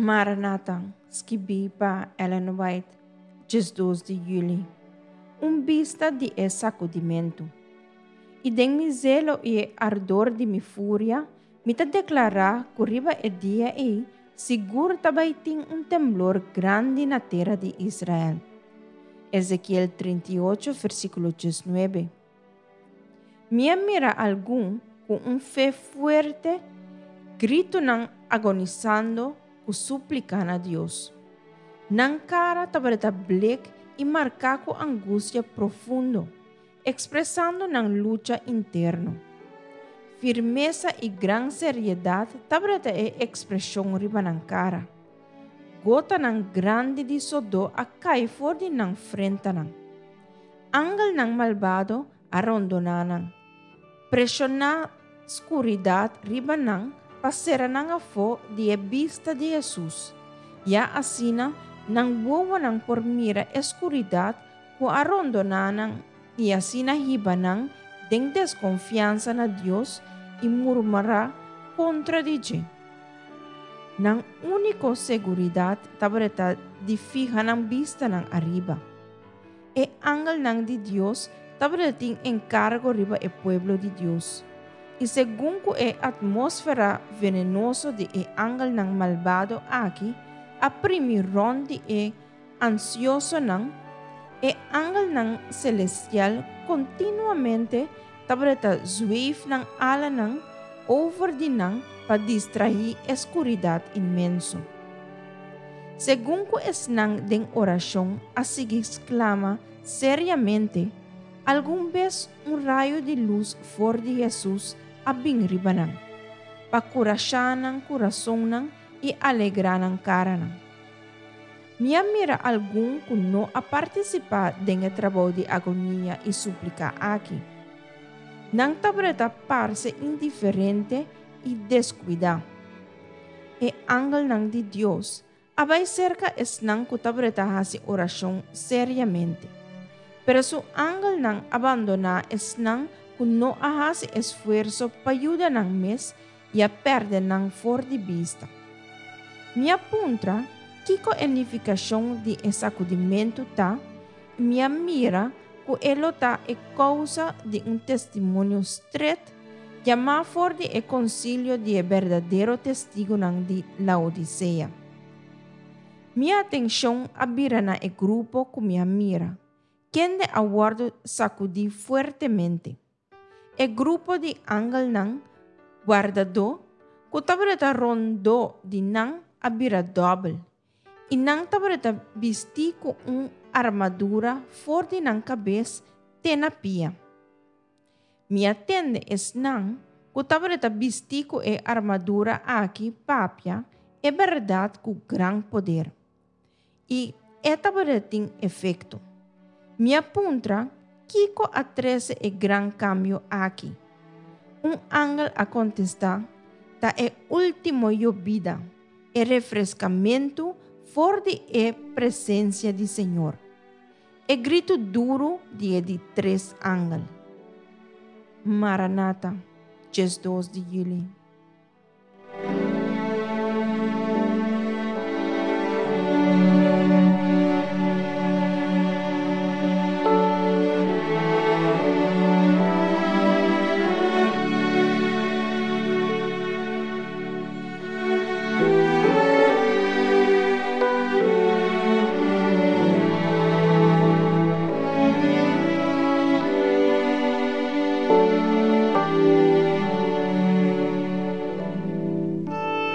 Maranata, skibí pa Ellen White, 12 di yüli. Un bista di e sakudimentu. I den mi zelo i e ardor di mi furia, mi ta deklará ku riba e dia ei sigur ta bai tin un temblor grandi na tera di Israel. Ezekiel 38, versíkulo 19. Mi a mira algun ku un fe fuerte, gritunan agonisando ku súplika na Dios. Nan kara tabata blek i marká ku angustia profundo, ekspresando nan lucha interno. Firmesa i gran seriedat tabata e ekspreshon riba nan kara. Gotanan grandi di sodó a kai for di nan frentanan. Angelnan malbado a rondoná nan, preshoná skuridat riba nan pa sera nan afó di e bista di Hesus, ya asina nan wowonan por mira e skuridat ku a rondoná nan i asina hiba nan den deskonfiansa na Dios i murmurá kontra di dje. Nan úniko seguridat tabata di fiha nan bistanan ariba. E angelnan di Dios tabata tin enkargo riba e pueblo di Dios. I segun ku e atmósfera venenoso di e angelnan malbado aki a primi rònt di e ansiosonan, e angelnan selestial kontinuamente tabata zweef nan alanan over di nan pa distraí e skuridat inmenso. Segun ku esnan den orashon a sigui sklama seriamente, algun bes un rayo di lus for di Hesus a bin riba nan, pa kurashá nan kurasonnan i alegrá nan karanan. Mi a mira algun ku no a partisipá den e trabou di agonia i súplika aki. Nan tabata parse indiferente i deskuidá. E angelnan di Dios a bai serka esnan ku tabata hasi orashon seriamente. Pero su angelnan a bandoná esnan ku no a hasi esfuerso pa yuda nan mes i a pèrdè nan for di bista. Mi a puntra kiko e nifikashon di e sakudimentu ta i mi a mira ku e lo ta e kousa di un testimonio stret yamá for di e konsilio di e berdadero testigunan di Laodisea. Mi atenshon a bira na e grupo ku mi a mira, kende a wòrdu sakudí fuertemente. E grupo di angelnan wardadó ku tabata rondó di nan a bira dòbel, i nan tabata bistí ku un armadura for di nan kabes te na pia. Mi a tende esnan ku tabata bistí ku e armadura aki papia e bèrdat ku gran poder. I e tabata tin efekto. Mi a puntra kiko a trese e gran kambio aki. Un angel a kontestá, Ta e último yobida, e refreskamentu for di e presensia di Señor. E gritu duru di e di tres angel. Maranata, 12 di yüli.